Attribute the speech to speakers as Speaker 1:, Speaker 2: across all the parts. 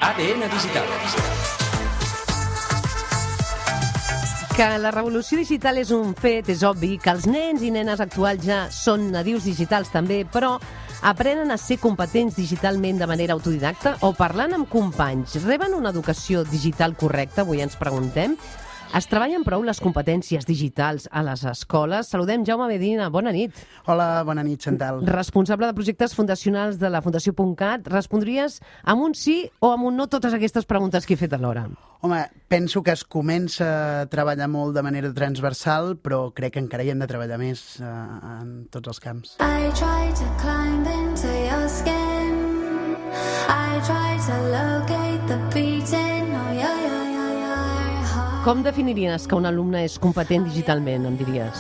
Speaker 1: ADN Digital.
Speaker 2: Que la revolució digital és un fet, és obvi que els nens i nenes actuals ja són nadius digitals també, però aprenen a ser competents digitalment de manera autodidacta o parlant amb companys? Reben una educació digital correcta? Avui ens preguntem. Es treballen prou les competències digitals a les escoles? Saludem Jaume Medina, bona nit.
Speaker 3: Hola, bona nit, Chantal.
Speaker 2: Responsable de projectes fundacionals de la Fundació.cat. Respondries amb un sí o amb un no totes aquestes preguntes que he fet alhora?
Speaker 3: Home, penso que es comença a treballar molt de manera transversal, però crec que encara hi hem de treballar més en tots els camps.
Speaker 4: I try to climb into your skin. I try to locate the beating of your heart.
Speaker 2: Com definiries que un alumne és competent digitalment, em diries?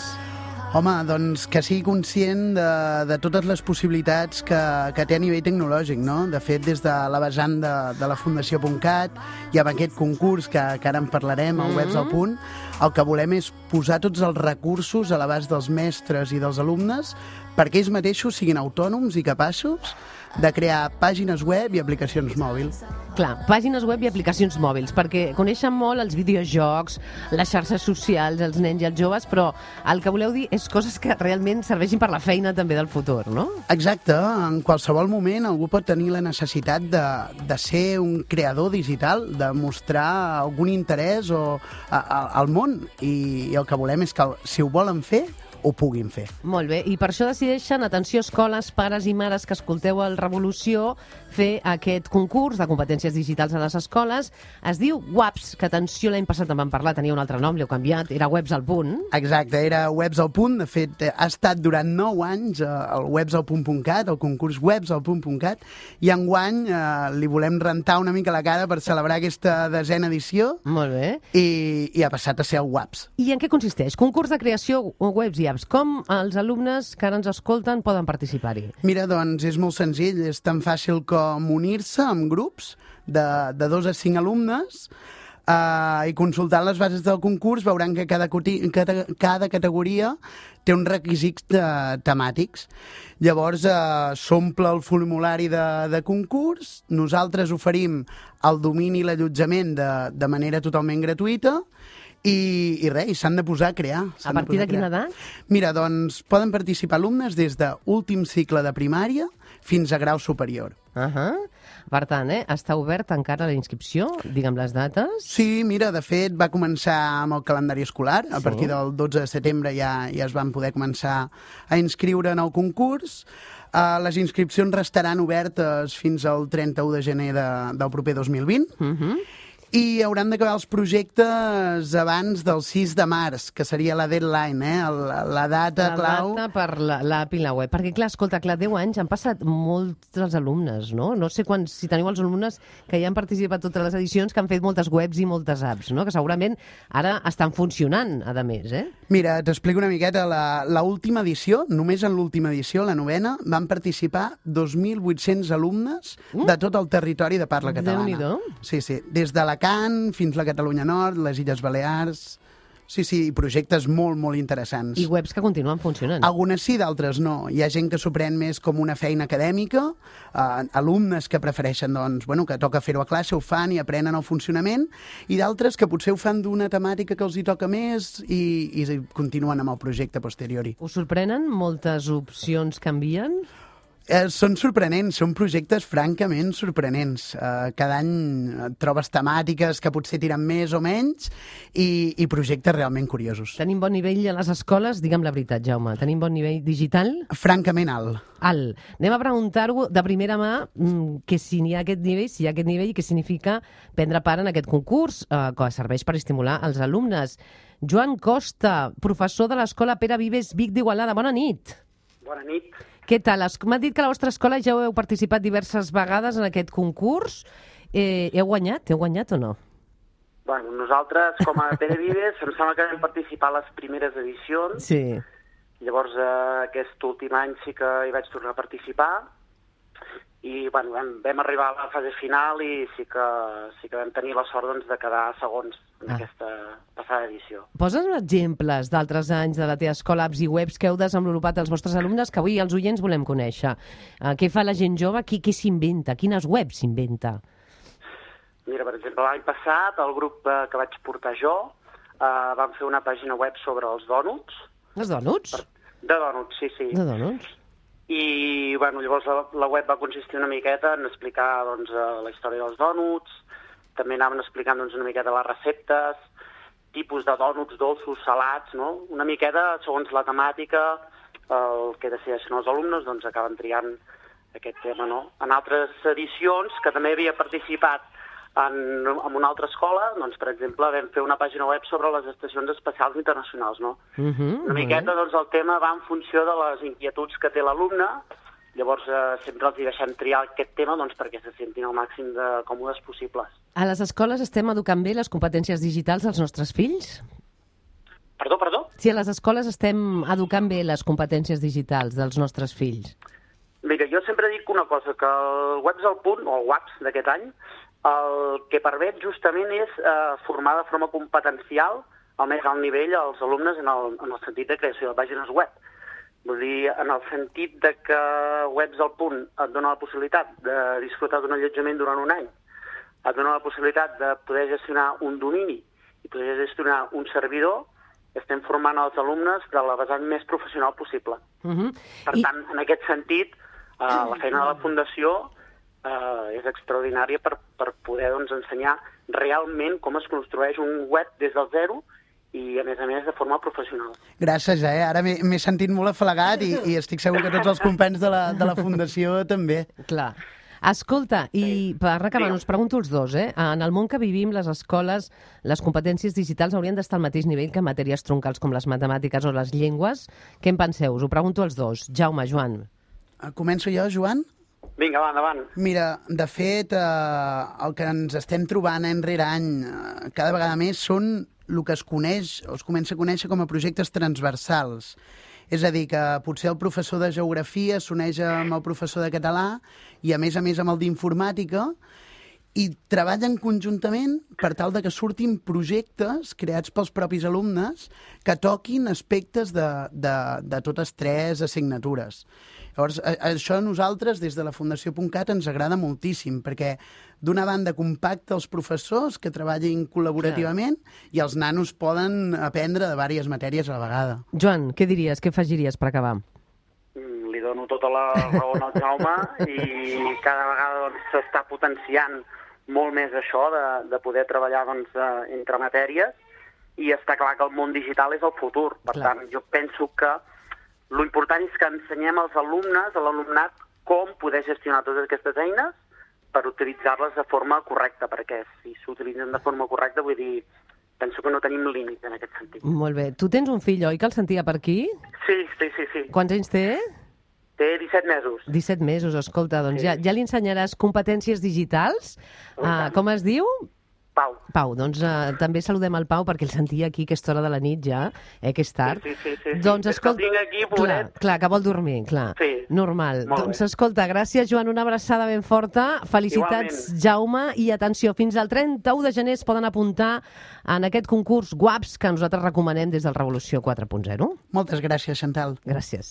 Speaker 3: Home, doncs que sigui conscient de totes les possibilitats que té a nivell tecnològic, no? De fet, des de la vessant de la Fundació.cat i amb aquest concurs que ara en parlarem, el Webs al Punt, el que volem és posar tots els recursos a l'abast dels mestres i dels alumnes perquè ells mateixos siguin autònoms i capaços de crear pàgines web i aplicacions mòbils.
Speaker 2: Clar, pàgines web i aplicacions mòbils, perquè coneixen molt els videojocs, les xarxes socials, els nens i els joves, però el que voleu dir és coses que realment serveixin per la feina també del futur, no?
Speaker 3: Exacte, en qualsevol moment algú pot tenir la necessitat de ser un creador digital, de mostrar algun interès al món, i el que volem és que si ho volen fer, ho puguin fer.
Speaker 2: Molt bé, i per això decideixen, atenció escoles, pares i mares que escolteu el Revolució, fer aquest concurs de competències digitals a les escoles. Es diu WAPS, que atenció, l'any passat en vam parlar, tenia un altre nom, l'heu canviat, era Webs al Punt.
Speaker 3: Exacte, era Webs al Punt, de fet ha estat durant 9 anys el websalpunt.cat, el concurs websalpunt.cat, i enguany li volem rentar una mica la cara per celebrar aquesta 10a edició.
Speaker 2: Molt bé.
Speaker 3: I ha passat a ser el WAPS.
Speaker 2: I en què consisteix? Concurs de creació webs i apps. Com els alumnes que ara ens escolten poden participar-hi?
Speaker 3: Mira, doncs és molt senzill, és tan fàcil com unir-se en grups de 2 a 5 alumnes i consultant les bases del concurs veuran que cada categoria té uns requisits temàtics. Llavors s'omple el formulari de concurs, nosaltres oferim el domini i l'allotjament de manera totalment gratuïta i res, s'han de posar a crear.
Speaker 2: A partir de quina edat?
Speaker 3: Mira, doncs poden participar alumnes des d'últim cicle de primària fins a grau superior.
Speaker 2: Per tant, està obert encara la inscripció? Digue'm les dates.
Speaker 3: Sí, mira, de fet va començar amb el calendari escolar. A partir del 12 de setembre ja es van poder començar a inscriure en el concurs. Les inscripcions restaran obertes fins al 31 de gener del proper 2020. I hauran d'acabar els projectes abans del 6 de març, que seria la deadline, la data clau.
Speaker 2: La data per l'app i la web. Perquè, clar, escolta, 10 anys han passat molts dels alumnes, no? No sé si teniu els alumnes que ja han participat totes les edicions, que han fet moltes webs i moltes apps, no? Que segurament ara estan funcionant, a més,
Speaker 3: Mira, t'explico una miqueta. L'última edició, només en l'última edició, la 9a, van participar 2.800 alumnes de tot el territori de parla catalana.
Speaker 2: Déu-n'hi-do.
Speaker 3: Sí, des de Alacant fins a la Catalunya Nord, les Illes Balears. Sí, projectes molt, molt interessants.
Speaker 2: I webs que continuen funcionant.
Speaker 3: Algunes sí, d'altres no. Hi ha gent que s'ho pren més com una feina acadèmica, alumnes que prefereixen, doncs, que toca fer-ho a classe, ho fan i aprenen el funcionament, i d'altres que potser ho fan d'una temàtica que els hi toca més i continuen amb el projecte a posteriori.
Speaker 2: Us sorprenen moltes opcions que envien?
Speaker 3: Són sorprenents, són projectes francament sorprenents. Cada any trobes temàtiques que potser tiren més o menys i projectes realment curiosos.
Speaker 2: Tenim bon nivell a les escoles? Digue'm la veritat, Jaume. Tenim bon nivell digital?
Speaker 3: Francament alt.
Speaker 2: Alt. Anem a preguntar-ho de primera mà que si hi ha aquest nivell i què significa prendre part en aquest concurs que serveix per estimular els alumnes. Joan Costa, professor de l'Escola Pere Vives Vic d'Igualada. Bona nit.
Speaker 5: Bona nit.
Speaker 2: Què tal? M'ha dit que a la vostra escola ja heu participat diverses vegades en aquest concurs. Heu guanyat o no?
Speaker 5: Bueno, nosaltres, com a Pere Vives, em sembla que vam participar a les primeres edicions.
Speaker 2: Sí.
Speaker 5: Llavors, aquest últim any sí que hi vaig tornar a participar. I vam arribar a la fase final i sí que vam tenir la sort de quedar segons en aquesta passada edició.
Speaker 2: Poses exemples d'altres anys de la teva escola, apps i webs que heu desenvolupat els vostres alumnes, que avui els oients volem conèixer. Què fa la gent jove? Què s'inventa? Quines webs s'inventa?
Speaker 5: Mira, per exemple, l'any passat, el grup que vaig portar jo, vam fer una pàgina web sobre els dònuts.
Speaker 2: Els dònuts?
Speaker 5: De dònuts, sí.
Speaker 2: De dònuts?
Speaker 5: I, bueno, llavors la web va consistir una miqueta en explicar, doncs, la història dels dònuts, també anaven explicant, doncs, una miqueta les receptes, tipus de dònuts dolços, salats, no? Una miqueta, segons la temàtica, el que decideixen els alumnes, doncs, acaben triant aquest tema, no? En altres edicions, que també havia participat en una altra escola, doncs, per exemple, vam fer una pàgina web sobre les estacions espacials internacionals, no? Una miqueta, doncs, el tema va en funció de les inquietuds que té l'alumne, llavors sempre els deixem triar aquest tema, doncs, perquè se sentin el màxim de còmodes possibles.
Speaker 2: A les escoles estem educant bé les competències digitals dels nostres fills?
Speaker 5: Perdó?
Speaker 2: Si a les escoles estem educant bé les competències digitals dels nostres fills?
Speaker 5: Mira, jo sempre dic una cosa, que el Webs al Punt, o el WAPS d'aquest any, el que permet justament és formar de forma competencial al més alt nivell als alumnes en el sentit de creació de pàgines web. Vull dir, en el sentit de que Webs al Punt et dona la possibilitat de disfrutar d'un allotjament durant un any, et dona la possibilitat de poder gestionar un domini i poder gestionar un servidor, estem formant els alumnes de la vessant més professional possible. Per tant, en aquest sentit, la feina de la Fundació és extraordinària per poder, doncs, ensenyar realment com es construeix un web des del zero i, a més, de forma professional.
Speaker 3: Gràcies, ara m'he sentit molt afalagat i estic segur que tots els companys de la Fundació també.
Speaker 2: Clar. Escolta, i per acabar, us pregunto els dos, en el món que vivim, les escoles, les competències digitals haurien d'estar al mateix nivell que matèries troncals com les matemàtiques o les llengües. Què en penseu? Us ho pregunto als dos. Jaume, Joan.
Speaker 3: Començo jo, Joan?
Speaker 5: Vinga, va, endavant.
Speaker 3: Mira, de fet, el que ens estem trobant any rere any, cada vegada més, són el que es coneix, o es comença a conèixer com a projectes transversals. És a dir, que potser el professor de geografia s'uneix amb el professor de català i, a més amb el d'informàtica, i treballen conjuntament per tal de que surtin projectes creats pels propis alumnes que toquin aspectes de totes tres assignatures. Llavors, això a nosaltres, des de la Fundació.cat, ens agrada moltíssim, perquè d'una banda compacta els professors que treballin col·laborativament i els nanos poden aprendre de diverses matèries a la vegada.
Speaker 2: Joan, què diries, què afegiries per acabar?
Speaker 5: Li dono tota la raó al Jaume i cada vegada s'està potenciant molt més això de poder treballar entre matèries i està clar que el món digital és el futur. Per tant, jo penso que l'important és que ensenyem als alumnes, a l'alumnat, com poder gestionar totes aquestes eines per utilitzar-les de forma correcta, perquè si s'utilitzen de forma correcta, vull dir, penso que no tenim límit en aquest sentit.
Speaker 2: Molt bé. Tu tens un fill, oi, que el sentia per aquí?
Speaker 5: Sí.
Speaker 2: Quants anys té?
Speaker 5: Té 17 mesos.
Speaker 2: 17 mesos, escolta, doncs ja li ensenyaràs competències digitals. Com es diu? Pau, doncs també saludem el Pau perquè el sentia aquí aquesta hora de la nit ja, que és tard.
Speaker 5: Sí.
Speaker 2: Doncs escolta,
Speaker 5: tinc aquí, pobret.
Speaker 2: Clar, que vol dormir, clar.
Speaker 5: Sí.
Speaker 2: Normal. Doncs
Speaker 5: bé.
Speaker 2: Escolta, gràcies, Joan, una abraçada ben forta. Felicitats,
Speaker 5: igualment.
Speaker 2: Jaume, i atenció, fins al 31 de gener es poden apuntar en aquest concurs WAPS que nosaltres recomanem des del Revolució 4.0.
Speaker 3: Moltes gràcies, Chantal.
Speaker 2: Gràcies.